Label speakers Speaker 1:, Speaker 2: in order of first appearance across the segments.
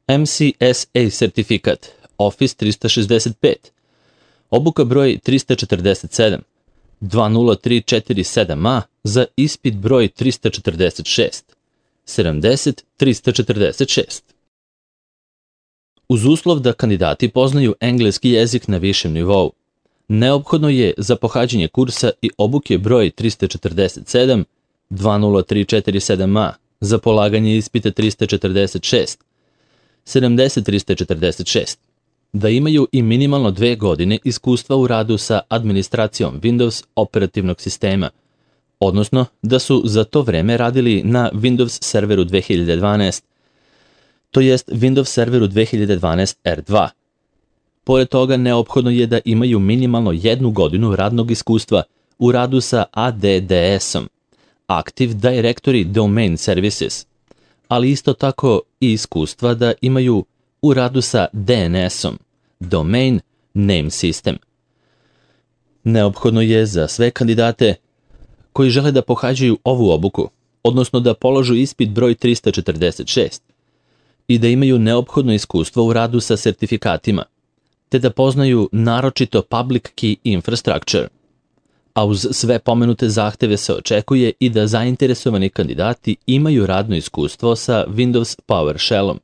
Speaker 1: MCSA sertifikat Office 365, obuka broj 347, 20347A za ispit broj 346, 70-346. Uz uslov da kandidati poznaju engleski jezik na višem nivou, neophodno je za pohađanje kursa i obuke broj 347, 20347A za polaganje ispita 346, 70-346, da imaju i minimalno 2 godine iskustva u radu sa administracijom Windows operativnog sistema, odnosno da su za to vreme radili na Windows serveru 2012, to jest Windows serveru 2012 R2. Pored toga, neophodno je da imaju minimalno 1 godinu radnog iskustva u radu sa ADDS-om, Active Directory Domain Services, ali isto tako i iskustva da imaju u radu sa DNS-om, Domain Name System. Neophodno je za sve kandidate koji žele da pohađaju ovu obuku, odnosno da položu ispit broj 346, i da imaju neophodno iskustvo u radu sa sertifikatima, te da poznaju naročito Public Key Infrastructure. A uz sve pomenute zahteve se očekuje i da zainteresovani kandidati imaju radno iskustvo sa Windows PowerShellom,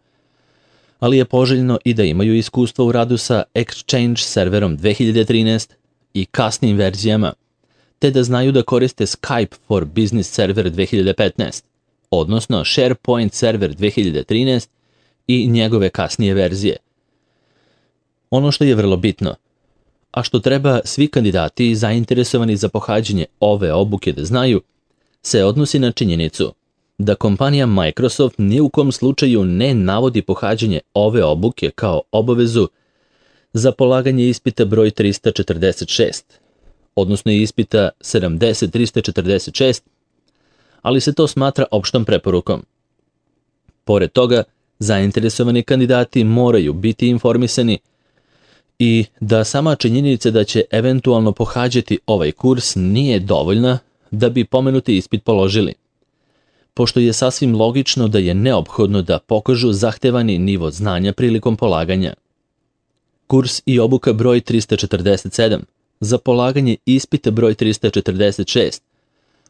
Speaker 1: ali je poželjno i da imaju iskustvo u radu sa Exchange serverom 2013 i kasnim verzijama, te da znaju da koriste Skype for Business server 2015, odnosno SharePoint server 2013 i njegove kasnije verzije. Ono što je vrlo bitno, a što treba svi kandidati zainteresovani za pohađanje ove obuke da znaju, se odnosi na činjenicu da kompanija Microsoft ni u kom slučaju ne navodi pohađanje ove obuke kao obavezu za polaganje ispita broj 346, odnosno ispita 70-346, ali se to smatra opštom preporukom. Pored toga, zainteresovani kandidati moraju biti informisani i da sama činjenica da će eventualno pohađati ovaj kurs nije dovoljna da bi pomenuti ispit položili, pošto je sasvim logično da je neophodno da pokažu zahtevani nivo znanja prilikom polaganja. Kurs i obuka broj 347 za polaganje ispita broj 346,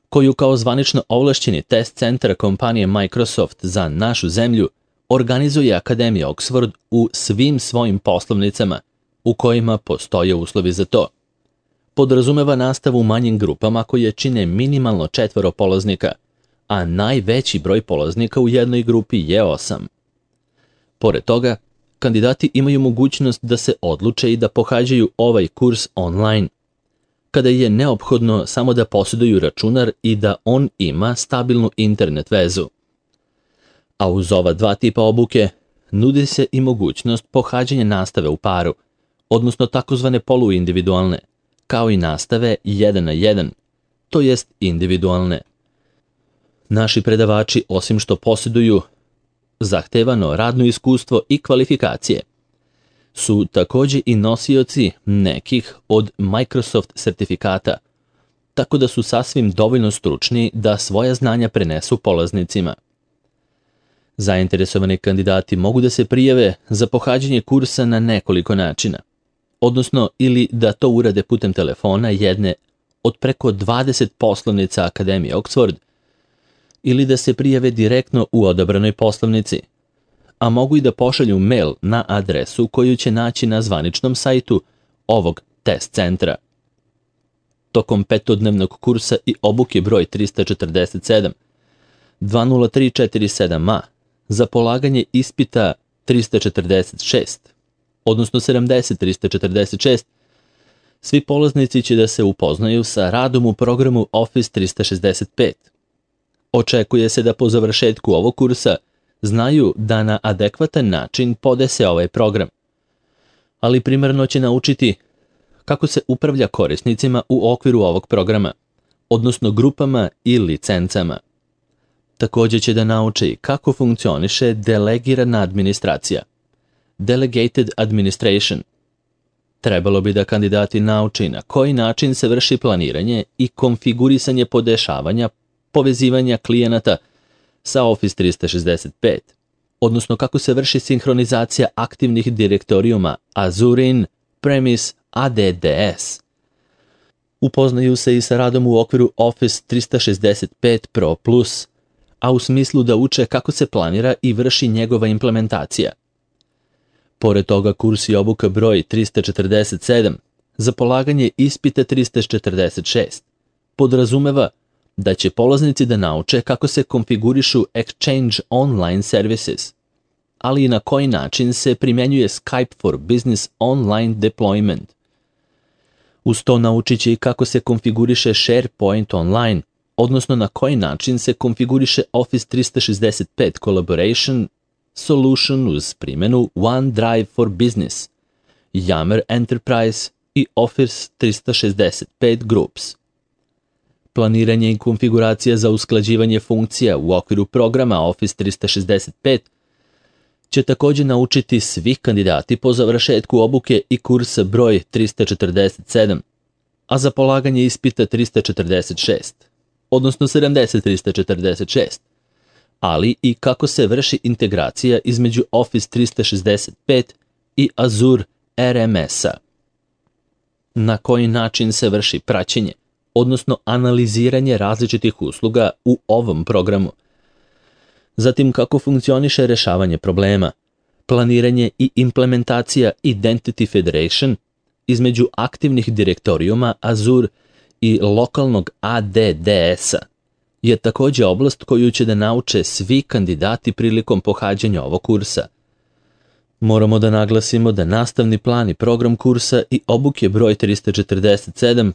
Speaker 1: koju kao zvanično ovlašćeni test centar kompanije Microsoft za našu zemlju organizuje Akademija Oxford u svim svojim poslovnicama u kojima postoje uslovi za to. Podrazumeva nastavu u manjim grupama koje čine minimalno 4 polaznika, a najveći broj polaznika u jednoj grupi je 8. Pored toga, kandidati imaju mogućnost da se odluče i da pohađaju ovaj kurs online, kada je neophodno samo da posjeduju računar i da on ima stabilnu internet vezu. A uz ova 2 tipa obuke nudi se i mogućnost pohađanja nastave u paru, odnosno takozvane poluindividualne, kao i nastave 1 na 1, to jest individualne. Naši predavači, osim što posjeduju zahtevano radno iskustvo i kvalifikacije, su također i nosioci nekih od Microsoft sertifikata, tako da su sasvim dovoljno stručni da svoja znanja prenesu polaznicima. Zainteresovani kandidati mogu da se prijave za pohađanje kursa na nekoliko načina, odnosno ili da to urade putem telefona jedne od preko 20 poslovnica Akademije Oxford, ili da se prijave direktno u odabranoj poslovnici, a mogu i da pošalju mail na adresu koju će naći na zvaničnom sajtu ovog test centra. Tokom 5-dnevnog kursa i obuke broj 347, 20347A za polaganje ispita 346, odnosno 70-346, svi polaznici će da se upoznaju sa radom u programu Office 365. Očekuje se da po završetku ovog kursa znaju da na adekvatan način podese ovaj program, ali primarno će naučiti kako se upravlja korisnicima u okviru ovog programa, odnosno grupama i licencama. Također će da nauči kako funkcioniše delegirana administracija, Delegated Administration. Trebalo bi da kandidati nauči na koji način se vrši planiranje i konfigurisanje podešavanja povezivanja klijenata sa Office 365, odnosno kako se vrši sinhronizacija aktivnih direktorijuma Azure In-Premise ADDS. Upoznaju se i sa radom u okviru Office 365 Pro Plus, a u smislu da uče kako se planira i vrši njegova implementacija. Pored toga, kurs i obuka broj 347 za polaganje ispita 346 podrazumeva da će polaznici da nauče kako se konfigurišu Exchange Online Services, ali i na koji način se primjenjuje Skype for Business Online Deployment. Uz to naučit će i kako se konfiguriše SharePoint Online, odnosno na koji način se konfiguriše Office 365 Collaboration Solution uz primjenu OneDrive for Business, Yammer Enterprise i Office 365 Groups. Planiranje i konfiguracija za usklađivanje funkcija u okviru programa Office 365 će također naučiti svi kandidati po završetku obuke i kursa broj 347, a za polaganje ispita 346, odnosno 346, ali i kako se vrši integracija između Office 365 i Azure RMS-a. Na koji način se vrši praćenje, odnosno analiziranje različitih usluga u ovom programu. Zatim kako funkcioniše rješavanje problema, planiranje i implementacija Identity Federation između aktivnih direktorijuma Azure i lokalnog ADDS-a je također oblast koju će da nauče svi kandidati prilikom pohađanja ovog kursa. Moramo da naglasimo da nastavni plan i program kursa i obuke broj 347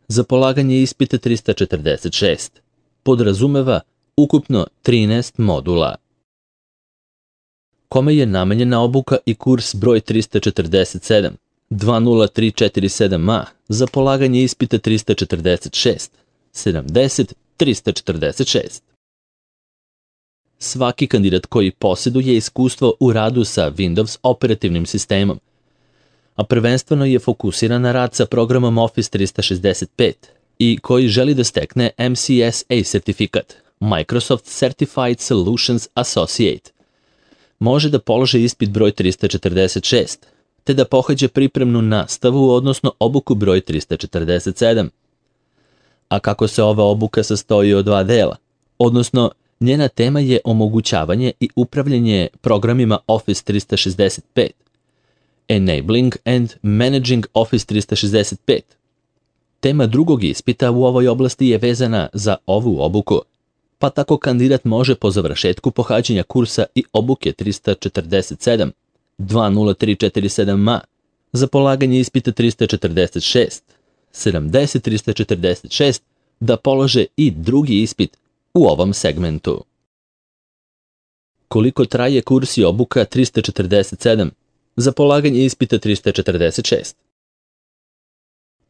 Speaker 1: za polaganje ispita 346 podrazumeva ukupno 13 modula. Kome je namenjena obuka i kurs broj 347 20347A za polaganje ispita 346 70 346. Svaki kandidat koji posjeduje iskustvo u radu sa Windows operativnim sistemom, a prvenstveno je fokusiran na rad sa programom Office 365 i koji želi da stekne MCSA sertifikat, Microsoft Certified Solutions Associate, može da položi ispit broj 346, te da pohađa pripremnu nastavu, odnosno obuku broj 347. A kako se ova obuka sastoji od dva dela, odnosno njena tema je omogućavanje i upravljanje programima Office 365, Enabling and Managing Office 365. Tema drugog ispita u ovoj oblasti je vezana za ovu obuku, pa tako kandidat može po završetku pohađanja kursa i obuke 347 20347A za polaganje ispita 346 70 346 da polože i drugi ispit u ovom segmentu. Koliko traje kurs i obuka 347 za polaganje ispita 346?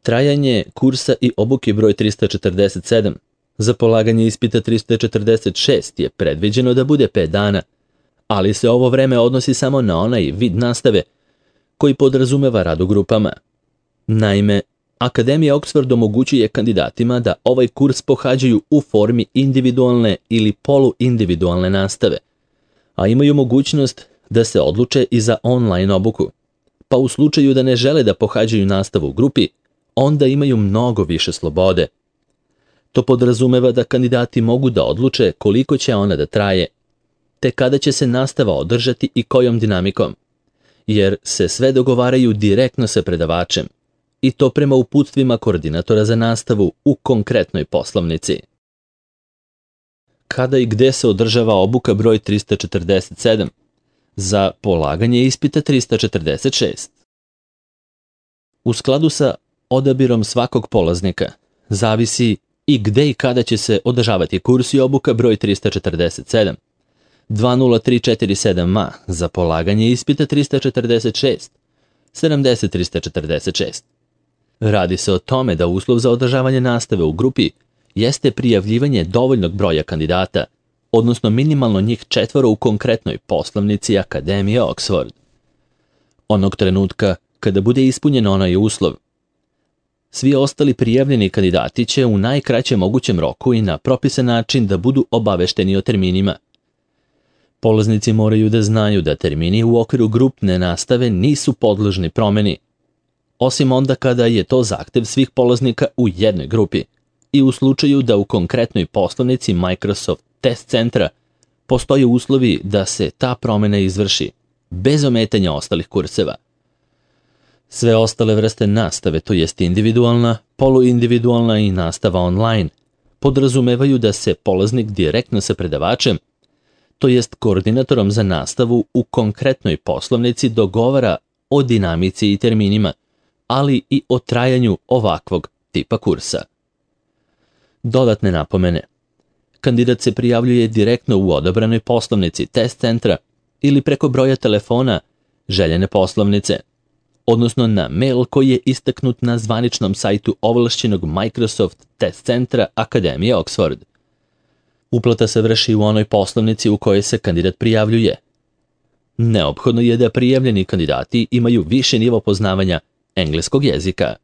Speaker 1: Trajanje kursa i obuke broj 347 za polaganje ispita 346 je predviđeno da bude 5 dana, ali se ovo vreme odnosi samo na onaj vid nastave koji podrazumeva rad u grupama. Naime, Akademija Oxford omogućuje kandidatima da ovaj kurs pohađaju u formi individualne ili poluindividualne nastave, a imaju mogućnost da se odluče i za online obuku. Pa u slučaju da ne žele da pohađaju nastavu u grupi, onda imaju mnogo više slobode. To podrazumeva da kandidati mogu da odluče koliko će ona da traje, te kada će se nastava održati i kojom dinamikom, jer se sve dogovaraju direktno sa predavačem, i to prema uputstvima koordinatora za nastavu u konkretnoj poslovnici. Kada i gde se održava obuka broj 347 za polaganje ispita 346? U skladu sa odabirom svakog polaznika zavisi i gde i kada će se održavati kurs i obuka broj 347 20347A za polaganje ispita 346 70 346. Radi se o tome da uslov za održavanje nastave u grupi jeste prijavljivanje dovoljnog broja kandidata, odnosno minimalno njih 4 u konkretnoj poslovnici Akademije Oxford. Onog trenutka kada bude ispunjen onaj uslov, svi ostali prijavljeni kandidati će u najkraćem mogućem roku i na propisan način da budu obavešteni o terminima. Polaznici moraju da znaju da termini u okviru grupne nastave nisu podložni promeni, osim onda kada je to zahtev svih polaznika u jednoj grupi i u slučaju da u konkretnoj poslovnici Microsoft Test Centra postoje uslovi da se ta promena izvrši, bez ometanja ostalih kurseva. Sve ostale vrste nastave, to jest individualna, poluindividualna i nastava online, podrazumevaju da se polaznik direktno sa predavačem, to jest koordinatorom za nastavu u konkretnoj poslovnici dogovara o dinamici i terminima, ali i o trajanju ovakvog tipa kursa. Dodatne napomene. Kandidat se prijavljuje direktno u odabranoj poslovnici Test Centra ili preko broja telefona željene poslovnice, odnosno na mail koji je istaknut na zvaničnom sajtu ovlašćenog Microsoft Test Centra Akademije Oxford. Uplata se vrši u onoj poslovnici u kojoj se kandidat prijavljuje. Neophodno je da prijavljeni kandidati imaju više nivo poznavanja engleskog jezika.